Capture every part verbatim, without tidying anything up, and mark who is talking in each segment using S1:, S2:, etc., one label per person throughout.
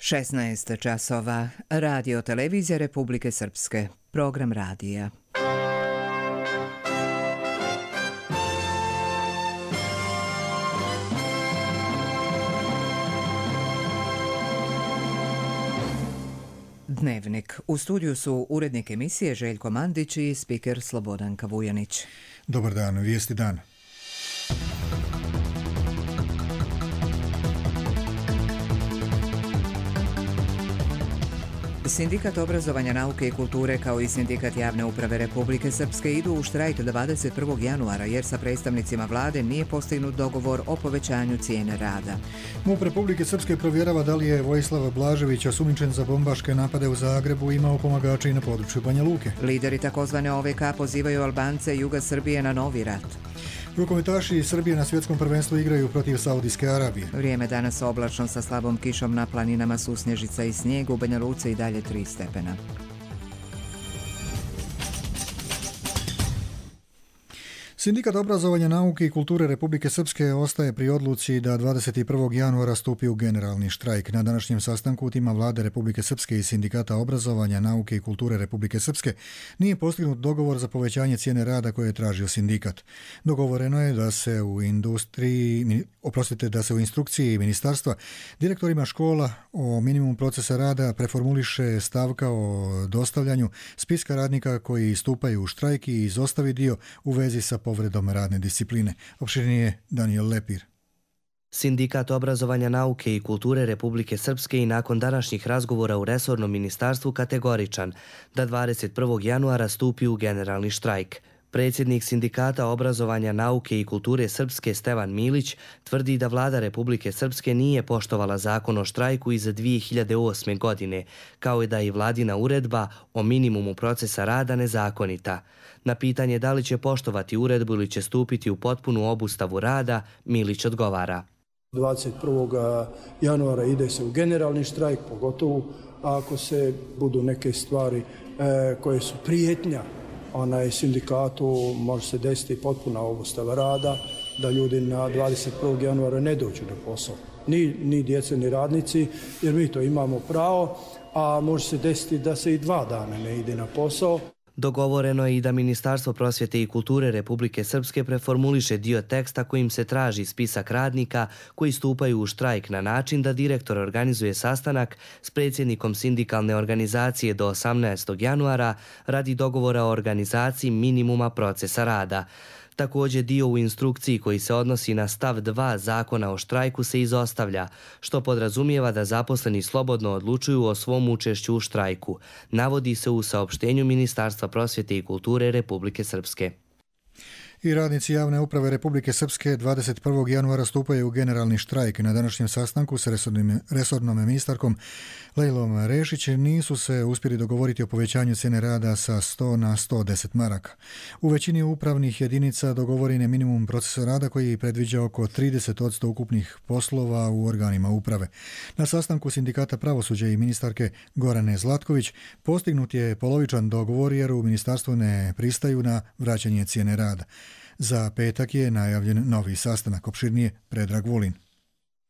S1: šesnaest časova. Radio televizija Republike Srpske. Program radija. Dnevnik. U studiju su urednik emisije Željko Mandić i spiker Slobodanka Vujanić.
S2: Dobar dan, vijesti dan.
S1: Sindikat obrazovanja, nauke i kulture kao i Sindikat javne uprave Republike Srpske idu u štrajk dvadeset prvog januara jer sa predstavnicima vlade nije postignut dogovor o povećanju cijene rada.
S2: MUP Republike Srpske provjerava da li je Vojislav Blažević, osumnjičen za bombaške napade u Zagrebu, imao pomagače i na području Banja Luke.
S1: Lideri takozvane O V K pozivaju Albance juga Srbije na novi rat.
S2: Rukometaši Srbije na svjetskom prvenstvu igraju protiv Saudijske Arabije.
S1: Vrijeme danas oblačno sa slabom kišom, na planinama susnježica i snijeg, u Banja Luci i dalje tri stepena.
S2: Sindikat obrazovanja, nauke i kulture Republike Srpske ostaje pri odluci da dvadeset prvog januara stupi u generalni štrajk. Na današnjem sastanku u tima vlade Republike Srpske i Sindikata obrazovanja, nauke i kulture Republike Srpske nije postignut dogovor za povećanje cijene rada koje je tražio sindikat. Dogovoreno je da se u industriji, oprostite, da se u instrukciji ministarstva direktorima škola o minimumu procesa rada preformuliše stavka o dostavljanju spiska radnika koji stupaju u štrajk i izostavi dio u vezi sa povredom radne discipline. Opširnije Daniel Lepir.
S3: Sindikat obrazovanja, nauke i kulture Republike Srpske i nakon današnjih razgovora u resornom ministarstvu kategoričan da dvadeset prvog januara stupi u generalni štrajk. Predsjednik Sindikata obrazovanja, nauke i kulture Srpske Stevan Milić tvrdi da vlada Republike Srpske nije poštovala zakon o štrajku iz dvije hiljade osme. godine, kao i da je vladina uredba o minimumu procesa rada nezakonita. Na pitanje da li će poštovati uredbu ili će stupiti u potpunu obustavu rada, Milić odgovara.
S4: dvadeset prvog januara ide se u generalni štrajk, pogotovo ako se budu neke stvari e, koje su prijetnja onaj sindikatu, može se desiti potpuna obustava rada, da ljudi na dvadeset prvog januara ne dođu na posao. Ni, ni djece, ni radnici, jer mi to imamo pravo, a može se desiti da se i dva dana ne ide na posao.
S3: Dogovoreno je i da Ministarstvo prosvjete i kulture Republike Srpske preformuliše dio teksta kojim se traži spisak radnika koji stupaju u štrajk na način da direktor organizuje sastanak s predsjednikom sindikalne organizacije do osamnaestog januara radi dogovora o organizaciji minimuma procesa rada. Također dio u instrukciji koji se odnosi na stav dva zakona o štrajku se izostavlja, što podrazumijeva da zaposleni slobodno odlučuju o svom učešću u štrajku, navodi se u saopštenju Ministarstva prosvjete i kulture Republike Srpske.
S2: I radnici javne uprave Republike Srpske dvadeset prvog januara stupaju u generalni štrajk. Na današnjem sastanku s resornim, resornom ministarkom Lejlom Rešić nisu se uspjeli dogovoriti o povećanju cijene rada sa sto na sto deset maraka. U većini upravnih jedinica dogovoren je minimum procesa rada koji predviđa oko trideset posto ukupnih poslova u organima uprave. Na sastanku Sindikata pravosuđa i ministarke Gorane Zlatković postignut je polovičan dogovor jer u ministarstvu ne pristaju na vraćanje cijene rada. Za petak je najavljen novi sastanak. Opširnije Predrag Vulin.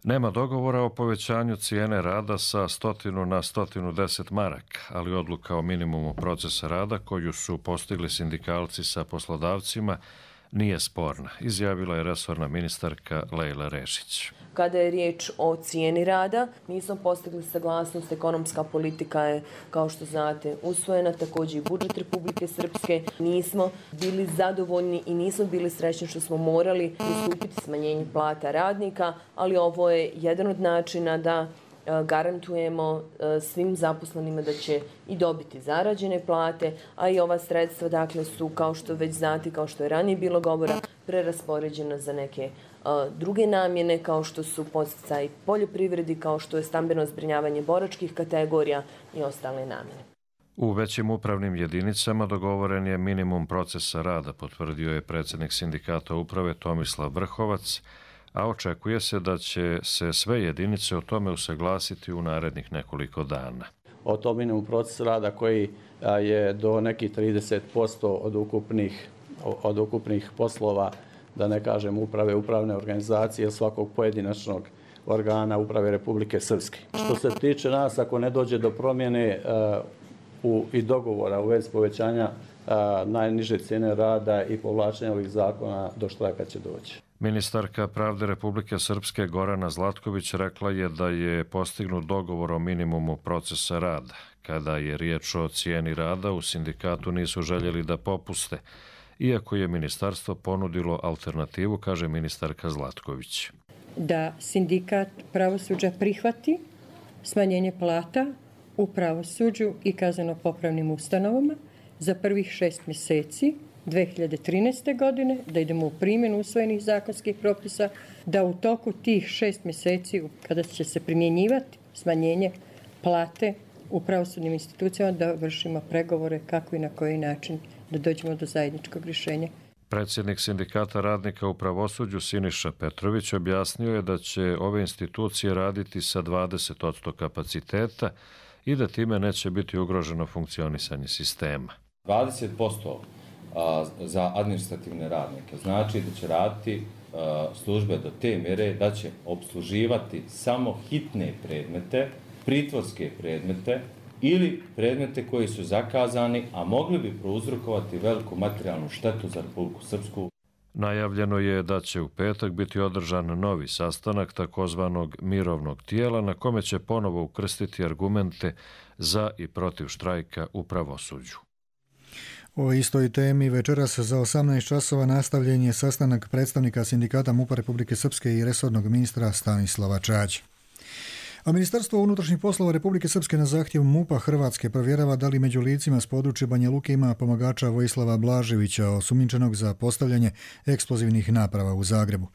S5: Nema dogovora o povećanju cijene rada sa stotinu na stotinu deset maraka, ali odluka o minimumu procesa rada koju su postigli sindikalci sa poslodavcima nije sporna, izjavila je resorna ministarka Lejla Rešić.
S6: Kada je riječ o cijeni rada, mi smo postigli saglasnost, ekonomska politika je, kao što znate, usvojena, također i budžet Republike Srpske. Nismo bili zadovoljni i nismo bili srećni što smo morali pristupiti smanjenju plata radnika, ali ovo je jedan od načina da garantujemo svim zaposlenima da će i dobiti zarađene plate, a i ova sredstva dakle su, kao što već znate, kao što je ranije bilo govora, preraspoređena za neke uh, druge namjene, kao što su podsticaj poljoprivredi, kao što je stambeno zbrinjavanje boračkih kategorija i ostale namjene.
S5: U većim upravnim jedinicama dogovoren je minimum procesa rada, potvrdio je predsjednik Sindikata uprave Tomislav Vrhovac, a očekuje se da će se sve jedinice o tome usaglasiti u narednih nekoliko dana.
S7: O tom minimumu procesa rada koji je do nekih trideset posto od ukupnih, od ukupnih poslova, da ne kažem uprave, upravne organizacije svakog pojedinačnog organa uprave Republike Srpske. Što se tiče nas, ako ne dođe do promjene u, i dogovora u vezi povećanja najniže cijene rada i povlačenja ovih zakona, do štrajka će doći.
S5: Ministarka pravde Republike Srpske Gorana Zlatković rekla je da je postignut dogovor o minimumu procesa rada. Kada je riječ o cijeni rada, u sindikatu nisu željeli da popuste, iako je ministarstvo ponudilo alternativu, kaže ministarka Zlatković.
S8: Da sindikat pravosuđa prihvati smanjenje plata u pravosuđu i kazneno-popravnim ustanovama za prvih šest mjeseci dve hiljade trinaeste. godine, da idemo u primjenu usvojenih zakonskih propisa, da u toku tih šest mjeseci kada će se primjenjivati smanjenje plate u pravosudnim institucijama, da vršimo pregovore kako i na koji način da dođemo do zajedničkog rješenja.
S5: Predsjednik sindikata radnika u pravosuđu Siniša Petrović objasnio je da će ove institucije raditi sa dvadeset posto kapaciteta i da time neće biti ugroženo funkcionisanje sistema.
S9: dvadeset posto za administrativne radnike znači da će raditi službe do te mjere da će obsluživati samo hitne predmete, pritvorske predmete ili predmete koji su zakazani, a mogli bi prouzrokovati veliku materijalnu štetu za Republiku Srpsku.
S5: Najavljeno je da će u petak biti održan novi sastanak takozvanog mirovnog tijela na kome će ponovo ukrstiti argumente za i protiv štrajka u pravosuđu.
S2: O istoj temi večeras za osamnaest časova nastavljen je sastanak predstavnika sindikata MUP-a Republike Srpske i resornog ministra Stanislava Čađe. A Ministarstvo unutrašnjih poslova Republike Srpske na zahtjev MUP-a Hrvatske provjerava da li među licima s područja Banja Luke ima pomagača Vojislava Blaževića, osumnjičenog za postavljanje eksplozivnih naprava u Zagrebu.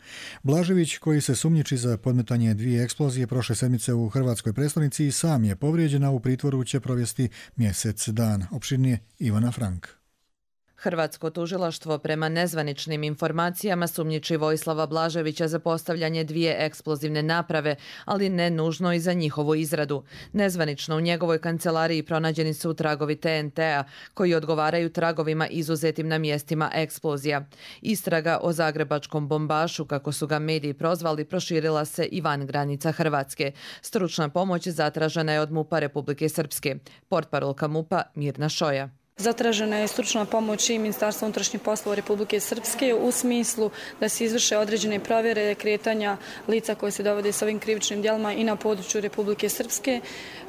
S2: Blažević, koji se sumnjiči za podmetanje dvije eksplozije prošle sedmice u hrvatskoj prestonici, i sam je povrijeđen, a u pritvoru će provesti mjesec dana. Opširnije Ivana Frank.
S10: Hrvatsko tužilaštvo prema nezvaničnim informacijama sumnjiči Vojislava Blaževića za postavljanje dvije eksplozivne naprave, ali ne nužno i za njihovu izradu. Nezvanično u njegovoj kancelariji pronađeni su tragovi T N T-a koji odgovaraju tragovima izuzetim na mjestima eksplozija. Istraga o zagrebačkom bombašu, kako su ga mediji prozvali, proširila se i van granica Hrvatske. Stručna pomoć zatražena je od MUP-a Republike Srpske. Portparolka MUP-a Mirna Šoja.
S11: Zatražena je stručna pomoć i Ministarstva unutrašnjih poslova Republike Srpske u smislu da se izvrše određene provjere kretanja lica koje se dovode s ovim krivičnim djelima i na području Republike Srpske.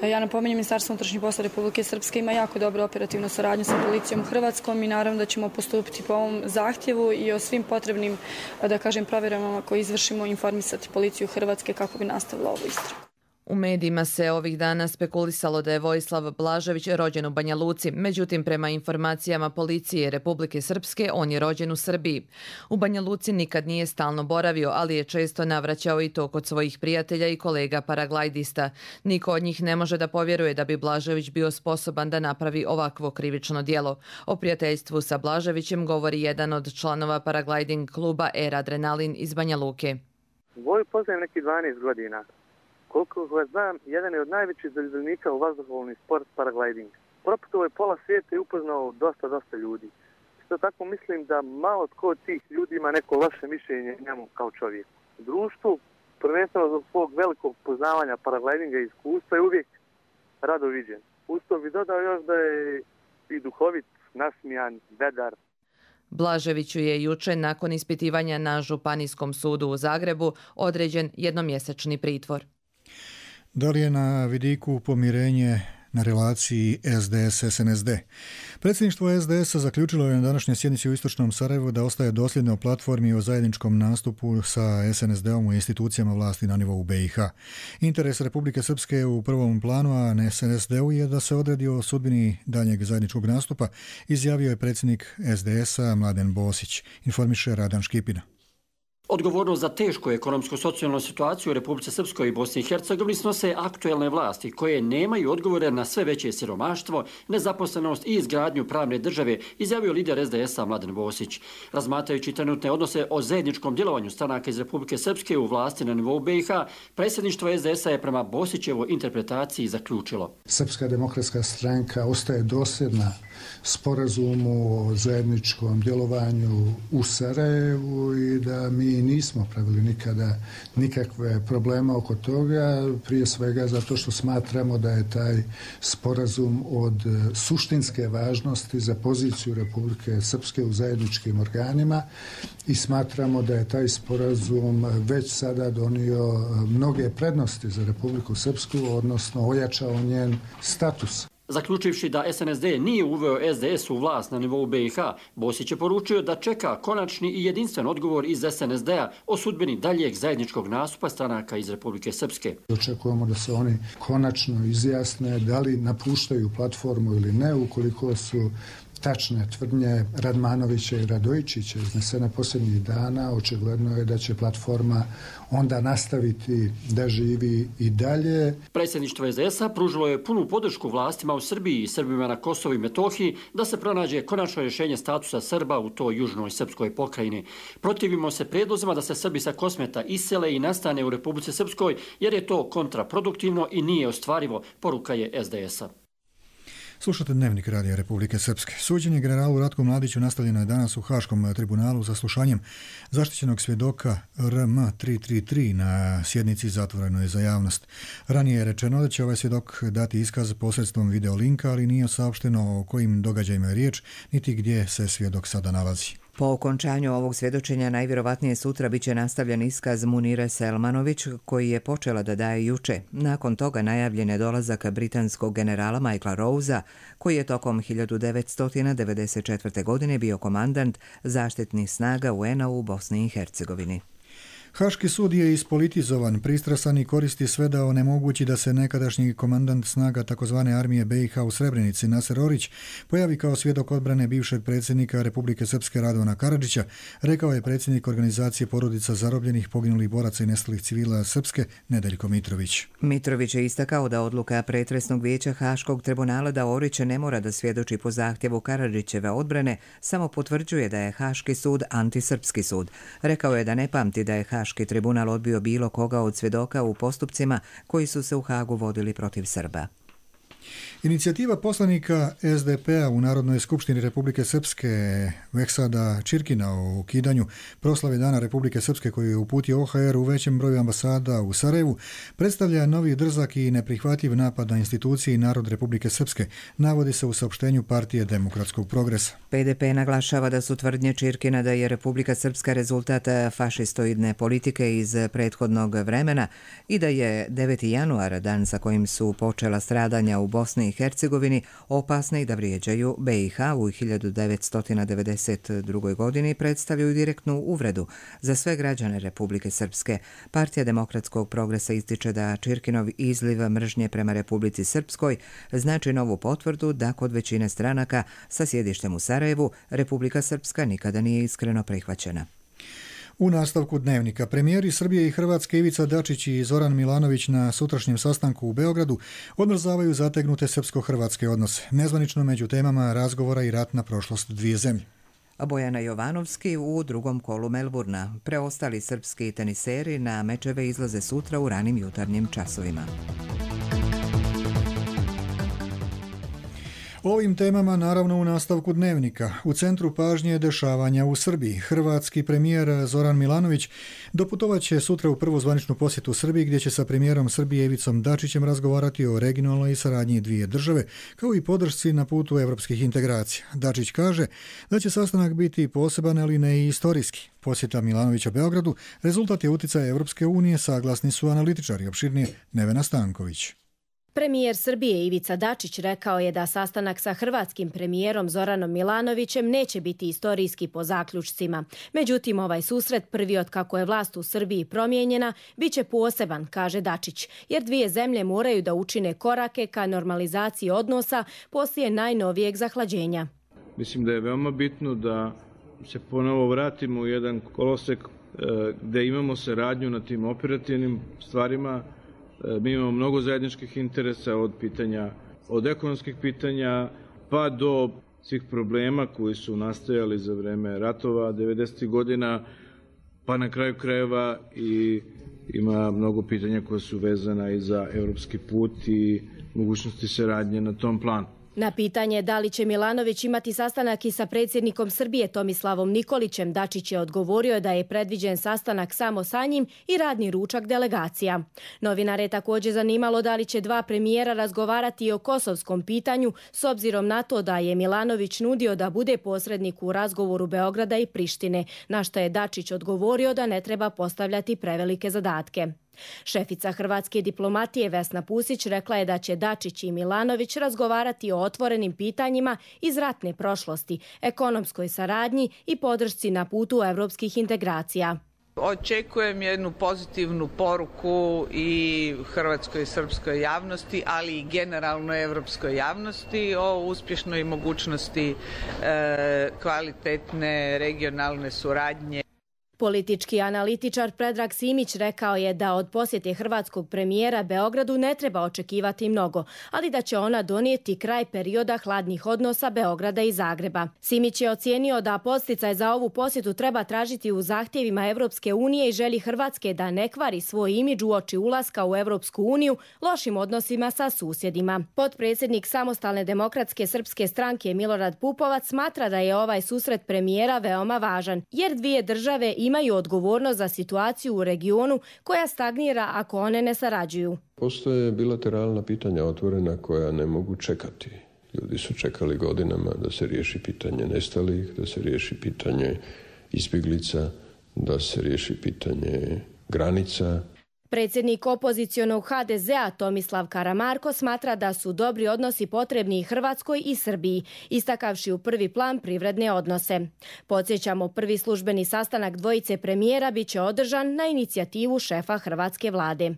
S11: Ja napominjem, Ministarstvo unutrašnjih poslova Republike Srpske ima jako dobru operativnu saradnju sa policijom u Hrvatskom i naravno da ćemo postupiti po ovom zahtjevu i o svim potrebnim, da kažem, provjerama koje izvršimo informisati policiju Hrvatske kako bi nastavila ovu istragu.
S10: U medijima se ovih dana spekulisalo da je Vojislav Blažević rođen u Banja Luci, međutim prema informacijama policije Republike Srpske on je rođen u Srbiji. U Banja Luci nikad nije stalno boravio, ali je često navraćao i to kod svojih prijatelja i kolega paraglajdista. Niko od njih ne može da povjeruje da bi Blažević bio sposoban da napravi ovakvo krivično djelo. O prijateljstvu sa Blaževićem govori jedan od članova paraglajding kluba Air Adrenalin iz Banja Luke.
S12: Voju poznajem neki dvanaest godina. Koliko vas znam, jedan je od najvećih zaljubljenika u vazduhoplovni sport paragliding. Proputovao je pola svijeta i upoznao dosta, dosta ljudi. Isto tako mislim da malo tko od tih ljudi ima neko loše mišljenje njemu kao čovjeku. U društvu, prvenstveno zbog svog velikog poznavanja paraglidinga i iskustva, je uvijek rado viđen. Uz to bi dodao još da je i duhovit, nasmijan, vedar.
S10: Blaževiću je juče nakon ispitivanja na Županijskom sudu u Zagrebu određen jednomjesečni pritvor.
S2: Da li je na vidiku pomirenje na relaciji S D S S N S D? Predsjedništvo S D S-a zaključilo je na današnjoj sjednici u Istočnom Sarajevu da ostaje dosljedno platformi o zajedničkom nastupu sa S N S D-om u institucijama vlasti na nivou B i H. Interes Republike Srpske u prvom planu, a ne S N S D-u, je da se odredi o sudbini daljnjeg zajedničkog nastupa, izjavio je predsjednik S D S-a Mladen Bosić, informiše Radan Škipina.
S13: Odgovornost za tešku ekonomsko-socijalnu situaciju u Republici Srpskoj i Bosni i Hercegovini snose aktuelne vlasti koje nemaju odgovore na sve veće siromaštvo, nezaposlenost i izgradnju pravne države, izjavio lider S D S-a Mladen Bosić. Razmatrajući trenutne odnose o zajedničkom djelovanju stranaka iz Republike Srpske u vlasti na nivou B i H, predsjedništvo S D S-a je prema Bosićevoj interpretaciji zaključilo.
S14: Srpska demokratska stranka ostaje dosljedna sporazumu o zajedničkom djelovanju u Sarajevu i da mi nismo pravili nikada nikakve probleme oko toga, prije svega zato što smatramo da je taj sporazum od suštinske važnosti za poziciju Republike Srpske u zajedničkim organima i smatramo da je taj sporazum već sada donio mnoge prednosti za Republiku Srpsku, odnosno ojačao njen status.
S13: Zaključivši da S N S D nije uveo S D S u vlast na nivou B i H, Bosić je poručio da čeka konačni i jedinstven odgovor iz S N S D-a o sudbini daljeg zajedničkog nastupa stranaka iz Republike Srpske.
S14: Očekujemo da se oni konačno izjasne da li napuštaju platformu ili ne, ukoliko su tačne tvrdnje Radmanovića i Radojičića iznesene posljednjih dana, očigledno je da će platforma onda nastaviti da živi i dalje.
S13: Predsjedništvo S D S-a pružilo je punu podršku vlastima u Srbiji i Srbima na Kosovu i Metohiji da se pronađe konačno rješenje statusa Srba u toj južnoj srpskoj pokrajini. Protivimo se prijedlozima da se Srbi sa Kosmeta isele i nastane u Republici Srpskoj jer je to kontraproduktivno i nije ostvarivo, poruka je S D S-a.
S2: Slušate Dnevnik Radija Republike Srpske. Suđenje generalu Ratku Mladiću nastavljeno je danas u Haškom tribunalu za slušanjem zaštićenog svjedoka R M tri tri tri na sjednici zatvorenoj za javnost. Ranije je rečeno da će ovaj svjedok dati iskaz posredstvom videolinka, ali nije saopšteno o kojim događajima je riječ, niti gdje se svjedok sada nalazi.
S1: Po okončanju ovog svjedočenja najvjerovatnije sutra biće nastavljen iskaz Munire Selmanović, koji je počela da daje juče. Nakon toga najavljen je dolazak britanskog generala Michaela Rosea, koji je tokom hiljadu devetsto devedeset četvrte. godine bio komandant zaštitnih snaga U N A u Bosni i Hercegovini.
S2: Haški sud je ispolitizovan, pristrasan i koristi sve da onemogući da se nekadašnji komandant snaga takozvane armije B i H u Srebrenici Naser Orić pojavi kao svjedok odbrane bivšeg predsjednika Republike Srpske Radovana Karadžića, rekao je predsjednik organizacije porodica zarobljenih, poginulih boraca i nestalih civila Srpske Nedeljko Mitrović.
S1: Mitrović je istakao da odluka pretresnog vijeća Haškog tribunala da Orić ne mora da svjedoči po zahtjevu Karadžićeve odbrane samo potvrđuje da je Haški sud antisrpski sud. Rekao je da ne pamti da je Haški tribunal odbio bilo koga od svjedoka u postupcima koji su se u Hagu vodili protiv Srba.
S2: Inicijativa poslanika S D P-a u Narodnoj skupštini Republike Srpske Veksada Čirkina o ukidanju proslave Dana Republike Srpske koju je uputio O H R u većem broju ambasada u Sarajevu predstavlja novi drzak i neprihvatljiv napad na institucije i narod Republike Srpske, navodi se u saopštenju Partije demokratskog progresa.
S1: P D P naglašava da su tvrdnje Čirkina da je Republika Srpska rezultat fašistoidne politike iz prethodnog vremena i da je deveti januar dan sa kojim su počela stradanja u Bosni i Hercegovini opasne i da vrijeđaju B i H u hiljadu devetsto devedeset drugoj. godini predstavljaju direktnu uvredu za sve građane Republike Srpske. Partija demokratskog progresa ističe da Čirkinov izliv mržnje prema Republici Srpskoj znači novu potvrdu da kod većine stranaka sa sjedištem u Sarajevu Republika Srpska nikada nije iskreno prihvaćena.
S2: U nastavku Dnevnika, premijeri Srbije i Hrvatske Ivica Dačić i Zoran Milanović na sutrašnjem sastanku u Beogradu odmrzavaju zategnute srpsko-hrvatske odnose. Nezvanično među temama razgovora i ratna prošlost dvije zemlje.
S1: Bojana Jovanovski u drugom kolu Melburna. Preostali srpski teniseri na mečeve izlaze sutra u ranim jutarnjim časovima.
S2: Ovim temama naravno u nastavku Dnevnika. U centru pažnje dešavanja u Srbiji. Hrvatski premijer Zoran Milanović doputovaće sutra u prvu zvaničnu posjetu Srbiji gdje će sa premijerom Srbije Ivicom Dačićem razgovarati o regionalnoj saradnji dvije države kao i podršci na putu evropskih integracija. Dačić kaže da će sastanak biti poseban, ali ne i istorijski. Posjeta Milanovića Beogradu rezultat je uticaja Evropske unije, saglasni su analitičari. Opširnije Nevena Stanković.
S15: Premijer Srbije Ivica Dačić rekao je da sastanak sa hrvatskim premijerom Zoranom Milanovićem neće biti istorijski po zaključcima. Međutim, ovaj susret, prvi od kako je vlast u Srbiji promijenjena, bit će poseban, kaže Dačić, jer dvije zemlje moraju da učine korake ka normalizaciji odnosa poslije najnovijeg zahlađenja.
S16: Mislim da je veoma bitno da se ponovo vratimo u jedan kolosek gde imamo saradnju na tim operativnim stvarima. Mi imamo mnogo zajedničkih interesa od pitanja, od ekonomskih pitanja pa do svih problema koji su nastajali za vreme ratova devedesetih godina, pa na kraju krajeva i ima mnogo pitanja koja su vezana i za evropski put i mogućnosti saradnje na tom planu.
S15: Na pitanje da li će Milanović imati sastanak i sa predsjednikom Srbije Tomislavom Nikolićem, Dačić je odgovorio da je predviđen sastanak samo sa njim i radni ručak delegacija. Novinare je također zanimalo da li će dva premijera razgovarati i o kosovskom pitanju s obzirom na to da je Milanović nudio da bude posrednik u razgovoru Beograda i Prištine, na što je Dačić odgovorio da ne treba postavljati prevelike zadatke. Šefica hrvatske diplomatije Vesna Pusić rekla je da će Dačić i Milanović razgovarati o otvorenim pitanjima iz ratne prošlosti, ekonomskoj saradnji i podršci na putu evropskih integracija.
S17: Očekujem jednu pozitivnu poruku i hrvatskoj i srpskoj javnosti, ali i generalno evropskoj javnosti o uspješnoj mogućnosti e, kvalitetne regionalne suradnje.
S15: Politički analitičar Predrag Simić rekao je da od posjete hrvatskog premijera Beogradu ne treba očekivati mnogo, ali da će ona donijeti kraj perioda hladnih odnosa Beograda i Zagreba. Simić je ocijenio da podsticaj za ovu posjetu treba tražiti u zahtjevima Evropske unije i želji Hrvatske da ne kvari svoj imidž uoči ulaska u Evropsku uniju lošim odnosima sa susjedima. Potpredsjednik Samostalne demokratske srpske stranke Milorad Pupovac smatra da je ovaj susret premijera veoma važan, jer dvije države imaju odgovornost za situaciju u regionu koja stagnira ako one ne sarađuju.
S18: Postoje bilateralna pitanja otvorena koja ne mogu čekati. Ljudi su čekali godinama da se riješi pitanje nestalih, da se riješi pitanje izbjeglica, da se riješi pitanje granica.
S15: Predsjednik opozicionog ha de zea Tomislav Karamarko smatra da su dobri odnosi potrebni i Hrvatskoj i Srbiji, istakavši u prvi plan privredne odnose. Podsjećamo, prvi službeni sastanak dvojice premijera biće održan na inicijativu šefa hrvatske vlade.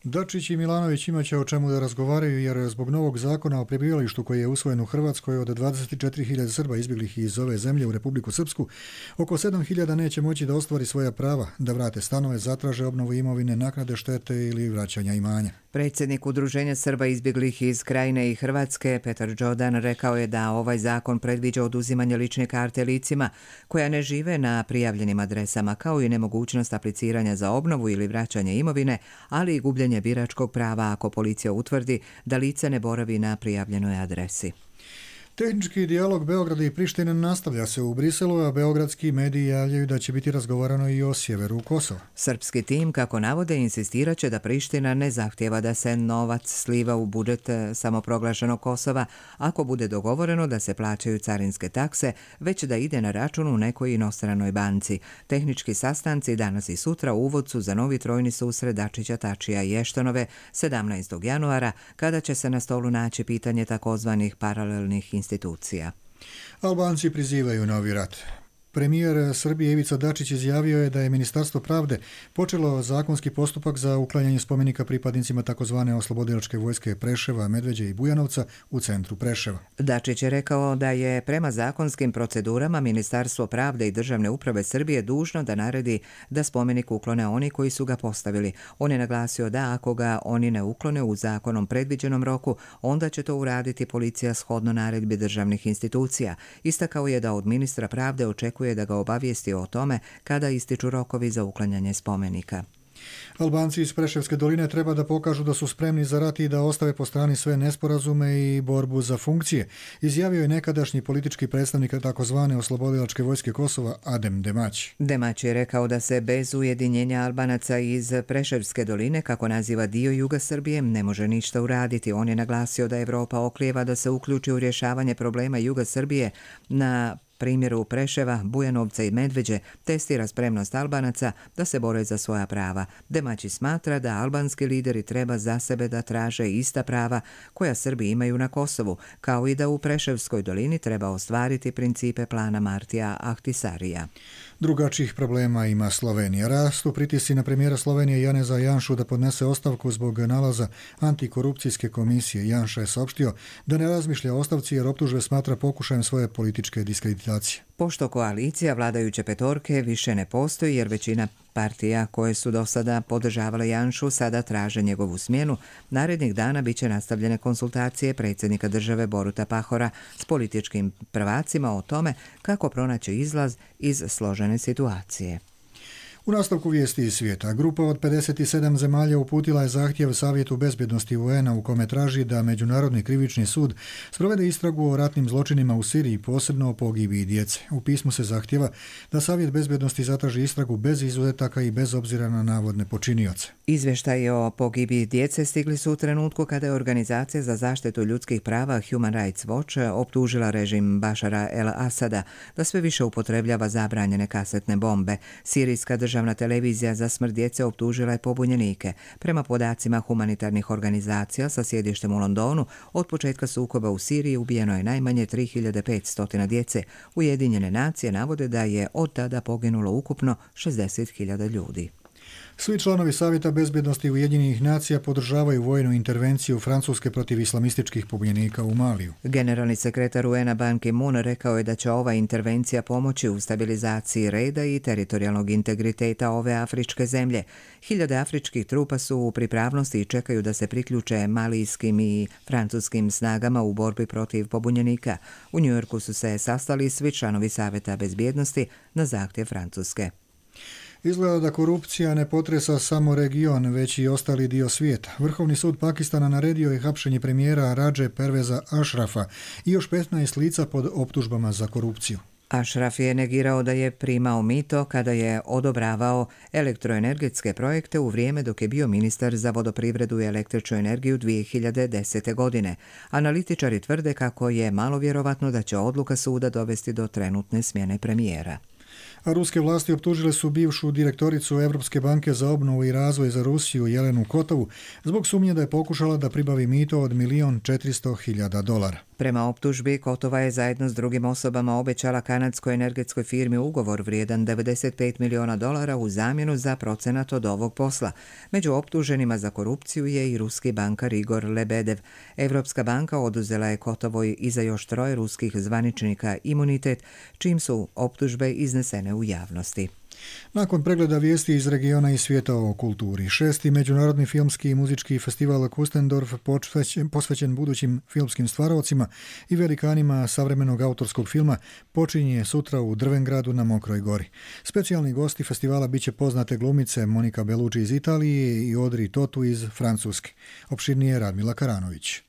S2: Dačić i Milanović imaće o čemu da razgovaraju jer zbog novog zakona o prebivalištu koji je usvojen u Hrvatskoj od dvadeset četiri hiljade Srba izbjeglih iz ove zemlje u Republiku Srpsku, oko sedam hiljada neće moći da ostvari svoja prava, da vrate stanove, zatraže obnovu imovine, naknade štete ili vraćanja imanja.
S1: Predsjednik Udruženja Srba izbjeglih iz Krajine i Hrvatske, Petar Đodan, rekao je da ovaj zakon predviđa oduzimanje lične karte licima koja ne žive na prijavljenim adresama, kao i nemogućnost apliciranja za obnovu ili vraćanje imovine, ali i gubljenje biračkog prava ako policija utvrdi da lice ne boravi na prijavljenoj adresi.
S2: Tehnički dijalog Beograda i Prištine nastavlja se u Briselu, a beogradski mediji javljaju da će biti razgovarano i o sjeveru Kosova.
S1: Srpski tim, kako navode, insistiraće da Priština ne zahtjeva da se novac sliva u budžet samoproglašenog Kosova ako bude dogovoreno da se plaćaju carinske takse, već da ide na račun u nekoj inostranoj banci. Tehnički sastanci danas i sutra uvod su za novi trojni susret Dačića, Tačija i Eštonove sedamnaestog januara, kada će se na stolu naći pitanje takozvanih paralelnih institucija.
S2: Albanci prizivaju novi rat. Premijer Srbije Ivica Dačić izjavio je da je Ministarstvo pravde počelo zakonski postupak za uklanjanje spomenika pripadnicima takozvane oslobodilačke vojske Preševa, Medveđe i Bujanovca u centru Preševa.
S1: Dačić je rekao da je prema zakonskim procedurama Ministarstvo pravde i državne uprave Srbije dužno da naredi da spomenik uklone oni koji su ga postavili. On je naglasio da ako ga oni ne uklone u zakonom predviđenom roku, onda će to uraditi policija shodno naredbi državnih institucija. Istakao je da od ministra pravde očekuje da ga obavijesti o tome kada ističu rokovi za uklanjanje spomenika.
S2: Albanci iz Preševske doline treba da pokažu da su spremni za rat i da ostave po strani sve nesporazume i borbu za funkcije, izjavio je nekadašnji politički predstavnik takozvane oslobodilačke vojske Kosova Adem Demać.
S1: Demać je rekao da se bez ujedinjenja Albanaca iz Preševske doline, kako naziva dio juga Srbije, ne može ništa uraditi. On je naglasio da Evropa oklijeva da se uključi u rješavanje problema juga Srbije na primjeru Preševa, Bujanovca i Medveđe, testira spremnost Albanaca da se bore za svoja prava. Demaći smatra da albanski lideri treba za sebe da traže ista prava koja Srbi imaju na Kosovu, kao i da u Preševskoj dolini treba ostvariti principe plana Martija Ahtisarija.
S2: Drugačijih problema ima Slovenija. Rastu pritisci na premijera Slovenije Janeza Janšu da podnese ostavku zbog nalaza antikorupcijske komisije. Janša je saopštio da ne razmišlja o ostavci jer optužbe smatra pokušajem svoje političke diskreditacije.
S1: Pošto koalicija vladajuće petorke više ne postoji jer većina partija koje su do sada podržavale Janšu sada traže njegovu smjenu, narednih dana biće nastavljene konsultacije predsjednika države Boruta Pahora s političkim prvacima o tome kako pronaći izlaz iz složene situacije.
S2: U nastavku vijesti iz svijeta, grupa od pedeset sedam zemalja uputila je zahtjev Savjetu bezbjednosti U N-a u kome traži da Međunarodni krivični sud sprovede istragu o ratnim zločinima u Siriji, posebno o pogibiji djece. U pismu se zahtjeva da Savjet bezbjednosti zatraži istragu bez izuzetaka i bez obzira na navodne počinioce.
S1: Izvještaji o pogibiji djece stigli su u trenutku kada je Organizacija za zaštitu ljudskih prava Human Rights Watch optužila režim Bašara el-Asada da sve više upotrebljava zabranjene kasetne bombe. Sirijska državna televizija za smrt djece optužila je pobunjenike. Prema podacima humanitarnih organizacija sa sjedištem u Londonu, od početka sukoba u Siriji ubijeno je najmanje tri hiljade petsto djece. Ujedinjene nacije navode da je od tada poginulo ukupno šezdeset hiljada ljudi.
S2: Svi članovi Savjeta bezbjednosti Ujedinjenih nacija podržavaju vojnu intervenciju Francuske protiv islamističkih pobunjenika u Maliju.
S1: Generalni sekretar U N-a Ban Ki-moon rekao je da će ova intervencija pomoći u stabilizaciji reda i teritorijalnog integriteta ove afričke zemlje. Hiljade afričkih trupa su u pripravnosti i čekaju da se priključe malijskim i francuskim snagama u borbi protiv pobunjenika. U Njujorku su se sastali svi članovi Savjeta bezbjednosti na zahtjev Francuske.
S2: Izgleda da korupcija ne potresa samo region, već i ostali dio svijeta. Vrhovni sud Pakistana naredio je hapšenje premijera Radže Perveza Ashrafa i još petnaest lica pod optužbama za korupciju.
S1: Ashraf je negirao da je primao mito kada je odobravao elektroenergetske projekte u vrijeme dok je bio ministar za vodoprivredu i električnu energiju dvije hiljade desete. godine. Analitičari tvrde kako je malo vjerovatno da će odluka suda dovesti do trenutne smjene premijera.
S2: A ruske vlasti optužile su bivšu direktoricu Europske banke za obnovu i razvoj za Rusiju Jelenu Kotovu zbog sumnje da je pokušala da pribavi mito od milijon četiristo hiljada dolara.
S1: Prema optužbi, Kotova je zajedno s drugim osobama obećala kanadskoj energetskoj firmi ugovor vrijedan devedeset pet milijuna dolara u zamjenu za procenat od ovog posla. Među optuženima za korupciju je i ruski bankar Igor Lebedev. Europska banka oduzela je Kotovoj i za još troje ruskih zvaničnika imunitet, čim su optužbe iznesene u javnosti.
S2: Nakon pregleda vijesti iz regiona i svijeta o kulturi, šesti međunarodni filmski i muzički festival Kustendorf posvećen budućim filmskim stvarovcima i velikanima savremenog autorskog filma počinje sutra u Drvengradu na Mokroj gori. Specijalni gosti festivala biće poznate glumice Monika Bellucci iz Italije i Audrey Tautou iz Francuske. Opširnije Radmila Karanović.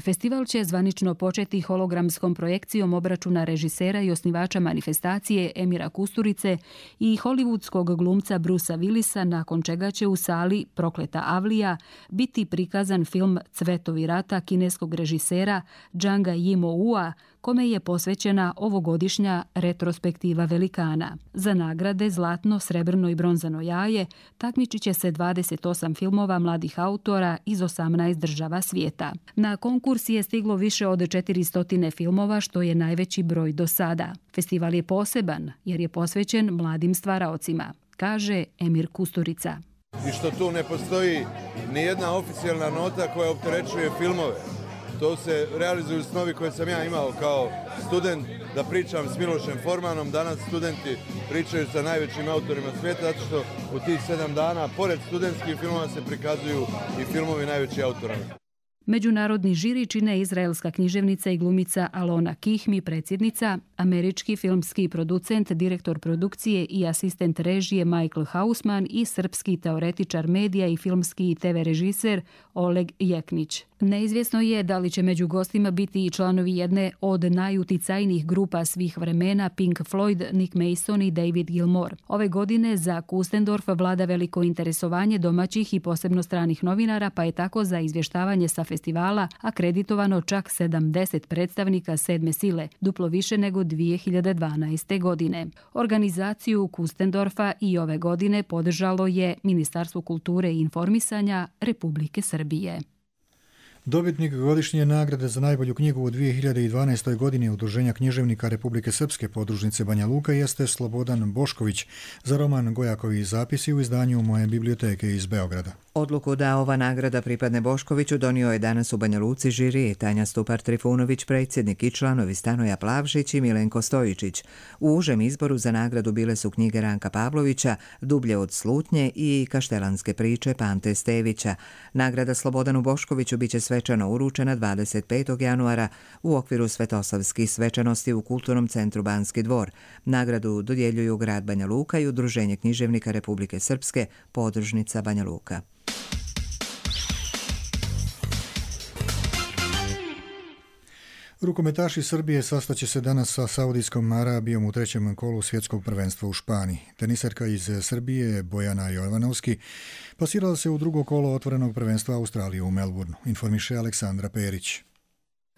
S19: Festival će zvanično početi hologramskom projekcijom obračuna režisera i osnivača manifestacije Emira Kusturice i hollywoodskog glumca Brucea Willisa, nakon čega će u sali Prokleta Avlija biti prikazan film Cvetovi rata kineskog režisera Zhanga Yimou-a, kome je posvećena ovogodišnja retrospektiva velikana. Za nagrade Zlatno, srebrno i bronzano jaje takmičit će se dvadeset osam filmova mladih autora iz osamnaest država svijeta. Na konkurs je stiglo više od četiristo filmova, što je najveći broj do sada. Festival je poseban jer je posvećen mladim stvaraocima, kaže Emir Kusturica.
S20: I što tu ne postoji ni jedna oficijalna nota koja opterećuje filmove. To se realizuju snovi koje sam ja imao kao student, da pričam s Milošem Formanom. Danas studenti pričaju sa najvećim autorima svijeta, zato što u tih sedam dana, pored studentskih filmova, se prikazuju i filmovi najvećih autora.
S19: Međunarodni žiri čine izraelska književnica i glumica Alona Kihmi, predsjednica, američki filmski producent, direktor produkcije i asistent režije Michael Hausman i srpski teoretičar medija i filmski i te ve režiser Oleg Jeknić. Neizvjesno je da li će među gostima biti i članovi jedne od najuticajnijih grupa svih vremena Pink Floyd, Nick Mason i David Gilmour. Ove godine za Kustendorf vlada veliko interesovanje domaćih i posebno stranih novinara, pa je tako za izvještavanje sa festivala akreditovano čak sedamdeset predstavnika sedme sile, duplo više nego dvije hiljade dvanaeste. godine. Organizaciju Kustendorfa i ove godine podržalo je Ministarstvo kulture i informisanja Republike Srbije.
S2: Dobitnik godišnje nagrade za najbolju knjigu u dvije hiljade dvanaestoj. godini Udruženja književnika Republike Srpske podružnice Banja Luka jeste Slobodan Bošković za roman Gojakovi zapisi u izdanju Moje biblioteke iz Beograda.
S1: Odluku da ova nagrada pripadne Boškoviću donio je danas u Banja Luci žiri Tanja Stupar-Trifunović, predsjednik, i članovi Stanoja Plavšić i Milenko Stojičić. U užem izboru za nagradu bile su knjige Ranka Pavlovića, Dublje od slutnje i Kaštelanske priče Pante Stevića. Nagrada Slobodanu Boškoviću biće sve svečano uručena dvadeset petog januara u okviru svetosavskih svečanosti u Kulturnom centru Banski dvor. Nagradu dodjeljuju grad Banja Luka i Udruženje književnika Republike Srpske, podružnica Banja Luka.
S2: Rukometaši Srbije sastaće se danas sa Saudijskom Arabijom u trećem kolu svjetskog prvenstva u Španiji. Teniserka iz Srbije Bojana Jovanovski pasirala se u drugo kolo otvorenog prvenstva Australije u Melbourneu, informiše Aleksandra Perić.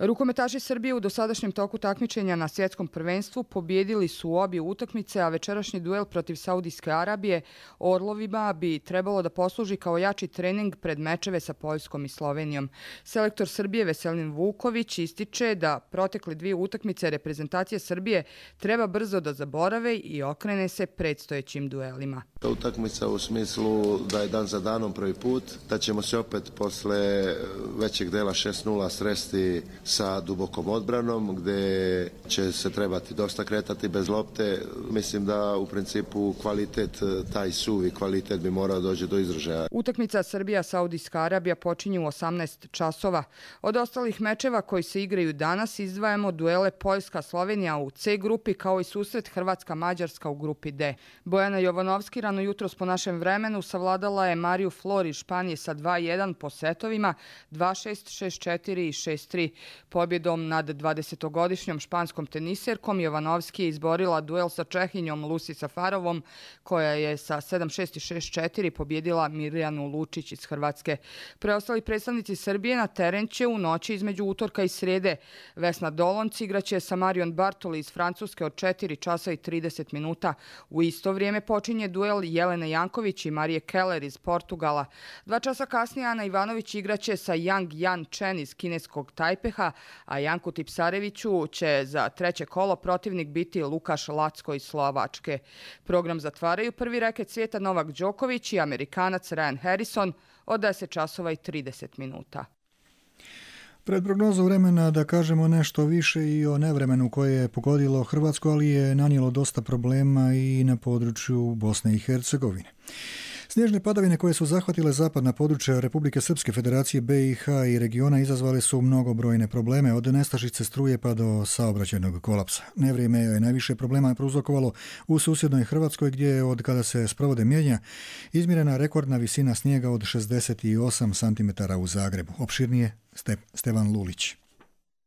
S21: Rukometaši Srbije u dosadašnjem toku takmičenja na svjetskom prvenstvu pobjedili su obje utakmice, a večerašnji duel protiv Saudijske Arabije Orlovima bi trebalo da posluži kao jači trening pred mečeve sa Poljskom i Slovenijom. Selektor Srbije Veselin Vuković ističe da protekle dvije utakmice reprezentacije Srbije treba brzo da zaborave i okrene se predstojećim duelima.
S22: Utakmica u smislu da je dan za danom prvi put, da ćemo se opet posle većeg dela šest nula sresti sa dubokom odbranom, gdje će se trebati dosta kretati bez lopte. Mislim da u principu kvalitet, taj suvi kvalitet bi morao doći do izražaja.
S21: Utakmica Srbija-Saudijska Arabija počinje u osamnaest časova. Od ostalih mečeva koji se igraju danas izdvajamo duele Poljska-Slovenija u C grupi kao i susret Hrvatska-Mađarska u grupi D. Bojana Jovanovski rano jutros po našem vremenu savladala je Mariju Flor iz Španije sa dva jedan po setovima dva šest, šest četiri i šest tri. Pobjedom nad dvadesetogodišnjom španskom teniserkom Jovanovski je izborila duel sa Čehinjom Lucy Safarovom, koja je sa sedam šest i šest četiri pobjedila Mirjanu Lučić iz Hrvatske. Preostali predstavnici Srbije na teren će u noći između utorka i srijede. Vesna Dolonc igraće sa Marion Bartoli iz Francuske od četiri časa i trideset minuta. U isto vrijeme počinje duel Jelene Janković i Marije Keller iz Portugala. Dva časa kasnije Ana Ivanović igraće sa Yang Yan Chen iz kineskog Tajpeha, a Janku Tipsareviću će za treće kolo protivnik biti Lukaš Lacko iz Slovačke. Program zatvaraju prvi reket svijeta Novak Đoković i Amerikanac Ryan Harrison od deset časova i trideset minuta.
S2: Pred prognozu vremena da kažemo nešto više i o nevremenu koje je pogodilo Hrvatsku, ali je nanijelo dosta problema i na području Bosne i Hercegovine. Snježne padavine koje su zahvatile zapadna područja Republike Srpske, Federacije B i H i regiona izazvale su mnogobrojne probleme, od nestašice struje pa do saobraćajnog kolapsa. Nevrijeme je najviše problema prouzrokovalo u susjednoj Hrvatskoj, gdje je od kada se sprovode mjenja izmjerena rekordna visina snijega od šezdeset osam centimetara u Zagrebu. Opširnije Stevan Lulić.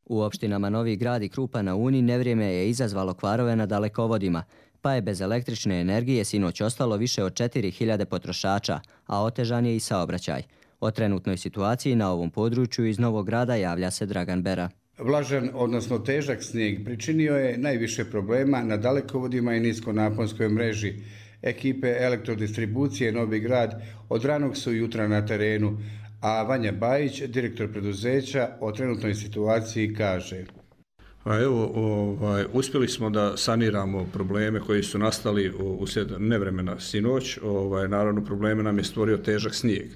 S23: U opštinama Novi Grad i Krupa na Uni nevrijeme je izazvalo kvarove na dalekovodima, pa je bez električne energije sinoć ostalo više od četiri hiljade potrošača, a otežan je i saobraćaj. O trenutnoj situaciji na ovom području iz Novog Grada javlja se Dragan Bera.
S24: Vlažan, odnosno težak snijeg, pričinio je najviše problema na dalekovodima i niskonaponskoj mreži. Ekipe elektrodistribucije Novi Grad od ranog su jutra na terenu, a Vanja Bajić, direktor preduzeća, o trenutnoj situaciji kaže:
S25: A evo, ovaj, uspjeli smo da saniramo probleme koji su nastali uslijed nevremena sinoć. Ovaj, naravno, probleme nam je stvorio težak snijeg.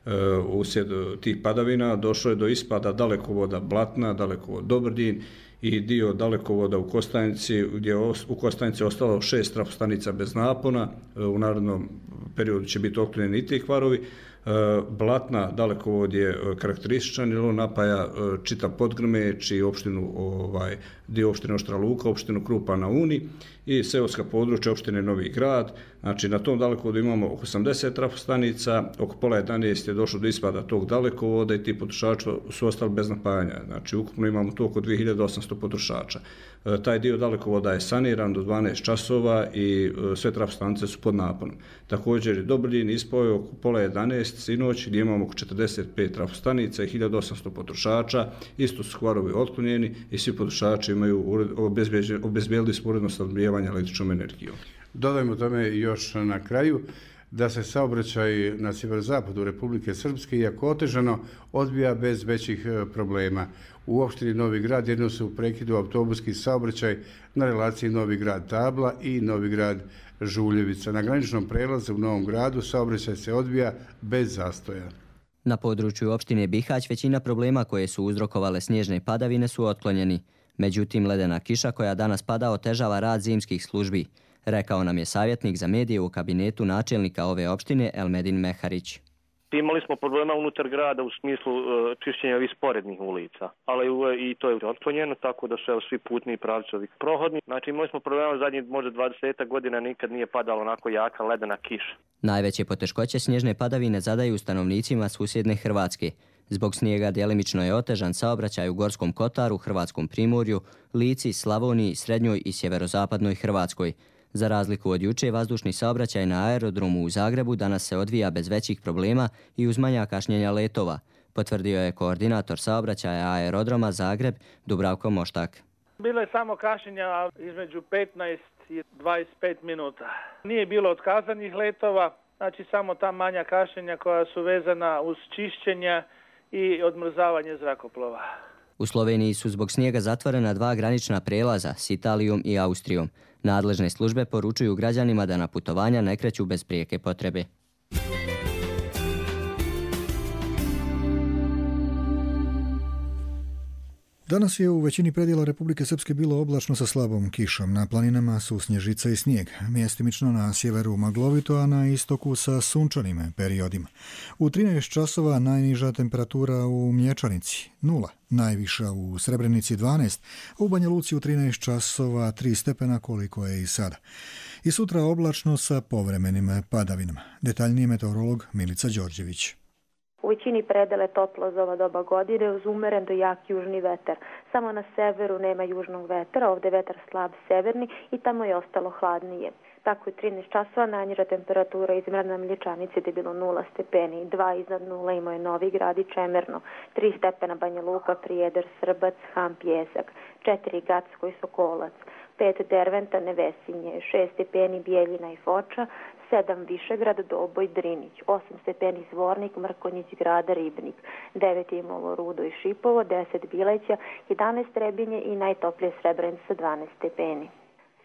S25: E, uslijed tih padavina došlo je do ispada dalekovoda Blatna, dalekovod Dobrdin i dio dalekovoda u Kostajnici, gdje je u Kostajnici ostalo šest trafostanica bez napona. E, u narednom periodu će biti otklonjeni i ti kvarovi. Blatna dalekovod je karakterističan jer on napaja čitav Podgrmeć i opštinu, ovaj, dio opštine Oštra Luka, opštinu Krupa na Uni i seoska područja opštine Novi Grad. Znači na tom dalekovodu imamo oko osamdeset trafostanica, oko pola jedanaest je došlo do ispada tog dalekovoda i ti potrošači su ostali bez napajanja. Znači ukupno imamo to oko dvije hiljade osamsto potrošača. E, taj dio dalekovoda je saniran do dvanaest časova i e, sve trafostanice su pod naponom. Također je Dobrdin ispao oko pola jedanaest sinoć gdje imamo oko četrdeset pet trafostanica i hiljadu osamsto potrošača. Isto su kvarovi otklonjeni i svi potrošači imaju obezbijedili smo uredno snabdijevanje električnom energijom.
S24: Dodajmo tome još na kraju da se saobraćaj na sjeverozapadu Republike Srpske, iako otežano, odvija bez većih problema. U opštini Novi Grad jedno su u prekidu autobuski saobraćaj na relaciji Novi Grad Tabla i Novi Grad Žuljevica. Na graničnom prelazu u Novom Gradu saobraćaj se odvija bez zastoja.
S23: Na području opštine Bihać većina problema koje su uzrokovale snježne padavine su otklonjeni. Međutim, ledena kiša koja danas pada otežava rad zimskih službi, rekao nam je savjetnik za medije u kabinetu načelnika ove opštine Elmedin Meharić.
S3: Imali smo problema unutar grada u smislu uh, čišćenja ovih sporednih ulica, ali uh, i to je otklonjeno, tako da su evo, svi putni pravci ovih prohodni. Znači imali smo problema zadnjih možda dvadeset godina, nikad nije padala onako jaka ledena kiša.
S23: Najveće poteškoće snježne padavine zadaju stanovnicima susjedne Hrvatske. Zbog snijega djelimično je otežan saobraćaj u Gorskom Kotaru, Hrvatskom Primorju, Lici, Slavoniji, Srednjoj i Sjeverozapadnoj Hrvatskoj. Za razliku od juče, vazdušni saobraćaj na aerodromu u Zagrebu danas se odvija bez većih problema i uz manja kašnjenja letova, potvrdio je koordinator saobraćaja aerodroma Zagreb Dubravko Moštak.
S4: Bilo je samo kašnjenja između petnaest i dvadeset pet minuta. Nije bilo otkazanih letova, znači samo ta manja kašnjenja koja su vezana uz čišćenja i odmrzavanje zrakoplova.
S23: U Sloveniji su zbog snijega zatvorena dva granična prelaza s Italijom i Austrijom. Nadležne službe poručuju građanima da na putovanja ne kreću bez prijeke potrebe.
S2: Danas je u većini predjela Republike Srpske bilo oblačno sa slabom kišom. Na planinama su snježica i snijeg. Mjestimično na sjeveru maglovito, a na istoku sa sunčanim periodima. U trinaest časova najniža temperatura u Mlječanici nula, najviša u Srebrenici dvanaest, a u Banja Luci u trinaest časova tri stepena koliko je i sada. I sutra oblačno sa povremenim padavinama. Detaljniji meteorolog Milica Đorđević.
S6: U većini predele toplo za ova doba godine uz umeren do jak južni vetar. Samo na severu nema južnog vetra, ovdje vetar slab severni i tamo je ostalo hladnije. Tako je trinaest časova najniža temperatura izmjerena na Mlječanici gdje je bilo nula stepeni, dva iznad nula imao je Novi Grad i Čemerno, tri stepena Banja Luka, Prijedor, Srbac, Ham, Pjesak, četiri Gacko i Sokolac, pet Derventa, Nevesinje, šest stepeni Bijeljina i Foča, sedam Višegrad, Doboj, Drinić, osam stepeni Zvornik, Mrkonjić, Grada, Ribnik, devet je imalo Rudo i Šipovo, deset Bileća, jedanaest Trebinje i najtoplije Srebrenica dvanaest stepeni.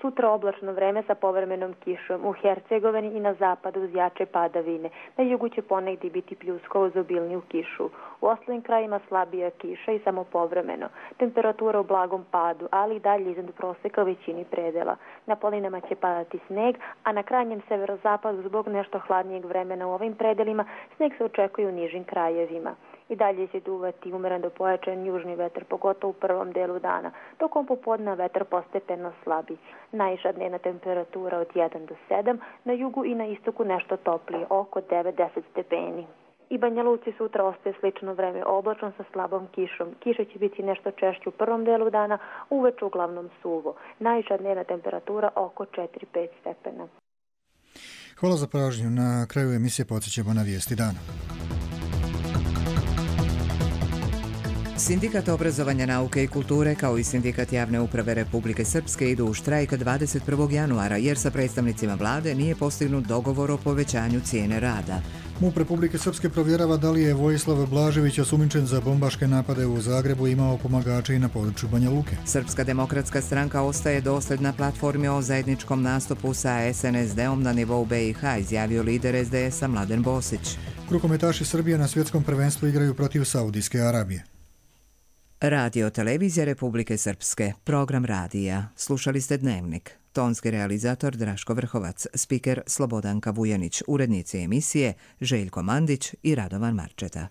S6: Sutra oblačno vreme sa povremenom kišom u Hercegovini i na zapadu uz jače padavine. Na jugu će ponegdje biti pljuska uz obilniju kišu. U ostalim krajima slabija kiša i samo povremeno. Temperatura u blagom padu, ali i dalje iznad proseka u većini predela. Na planinama će padati sneg, a na krajnjem severozapadu zbog nešto hladnijeg vremena u ovim predelima sneg se očekuje u nižim krajevima. I dalje će duvati umeren do pojačan južni vetar, pogotovo u prvom delu dana. Tokom popodneva vetar postepeno slabi. Najviša dnevna temperatura od jedan do sedam, na jugu i na istoku nešto toplije, oko devet do deset stepeni. I Banja Luci sutra ostaje slično vreme, oblačno sa slabom kišom. Kiša će biti nešto češće u prvom delu dana, uveče uglavnom suvo. Najviša dnevna temperatura oko četiri do pet stepena.
S2: Hvala za pažnju. Na kraju emisije podsjećamo na vijesti dana.
S1: Sindikat obrazovanja, nauke i kulture kao i Sindikat javne uprave Republike Srpske idu u štrajk dvadeset prvog januara jer sa predstavnicima vlade nije postignut dogovor o povećanju cijene rada.
S2: MUP Republike Srpske provjerava da li je Vojislav Blažević osumnjičen za bombaške napade u Zagrebu imao pomagače i na području Banja Luke.
S1: Srpska demokratska stranka ostaje dosljedna platformi o zajedničkom nastupu sa es en es de-om na nivou be i ha, izjavio lider es de es-a Mladen Bosić.
S2: Rukometaši Srbije na svjetskom prvenstvu igraju protiv Saudijske Arabije.
S1: Radio Televizija Republike Srpske, program radija. Slušali ste Dnevnik. Tonski realizator Draško Vrhovac, spiker Slobodanka Vujanić, urednici emisije Željko Mandić i Radovan Marčeta.